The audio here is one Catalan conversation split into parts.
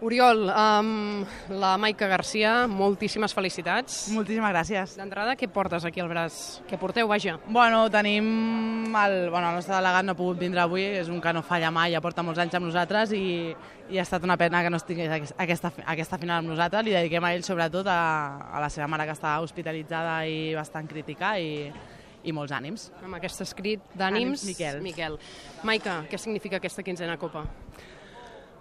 Oriol, la Maica Garcia, moltíssimes felicitats. Moltíssimes gràcies. D'entrada, què portes aquí al braç? Què porteu, vaja? Bueno, tenim... El nostre delegat no ha pogut vindre avui, és un que no falla mai, ja porta molts anys amb nosaltres i ha estat una pena que no estigués aquesta final amb nosaltres. Li dediquem a ell sobretot a la seva mare que està hospitalitzada i bastant crítica i molts ànims. Amb aquest escrit d'ànims, Miquel. Maica, què significa aquesta quinzena Copa?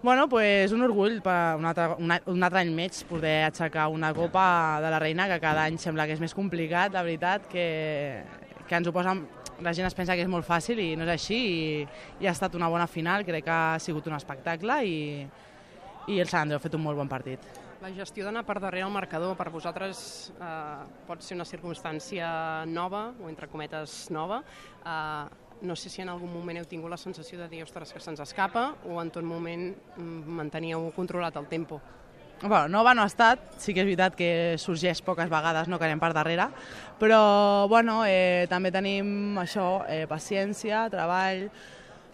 Bueno, pues un orgull per un altre any més poder aixecar una Copa de la Reina, que cada any sembla que és més complicat, la veritat, que ens ho posen... La gent es pensa que és molt fàcil i no és així, i ha estat una bona final, crec que ha sigut un espectacle i el Sant Andreu ha fet un molt bon partit. La gestió d'anar per darrere al marcador per vosaltres pot ser una circumstància nova, o entre cometes nova. No sé si en algun moment heu tingut la sensació de dir ostres, que se'ns escapa, o en tot moment manteníeu controlat el tempo. Bueno, nova no ha estat, sí que és veritat que sorgeix poques vegades, no, que anem per darrere, però bueno, també tenim això, paciència, treball,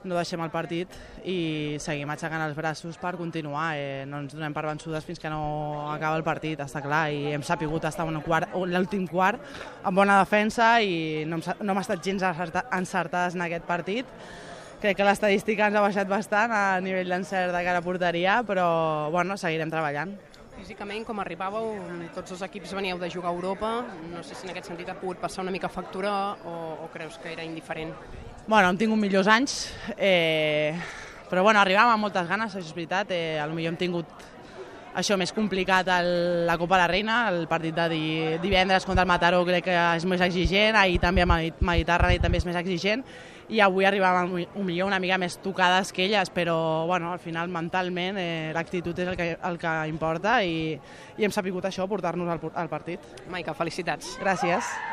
no deixem el partit i seguim aixecant els braços per continuar. No ens donem per vençudes fins que no acaba el partit, està clar, i hem sapigut estar en l'últim quart amb bona defensa i no hem estat gens encertades en aquest partit. Crec que l'estadística ens ha baixat bastant a nivell d'encert de cara a porteria, però bueno, seguirem treballant. Físicament, com arribàveu, tots els equips veníeu de jugar a Europa, no sé si en aquest sentit ha pogut passar una mica factura o creus que era indiferent? Bueno, hem tingut millors anys, però bueno, arribàvem amb moltes ganes, això és veritat, potser hem tingut això més complicat la Copa de la Reina, el partit de divendres contra el Mataró crec que és més exigent, ahir també a Mediterrani també és més exigent, i avui arribàvem potser una mica més tocades que elles, però bueno, al final mentalment l'actitud és el que importa i hem sabut això, portar-nos al partit. Maica, felicitats. Gràcies.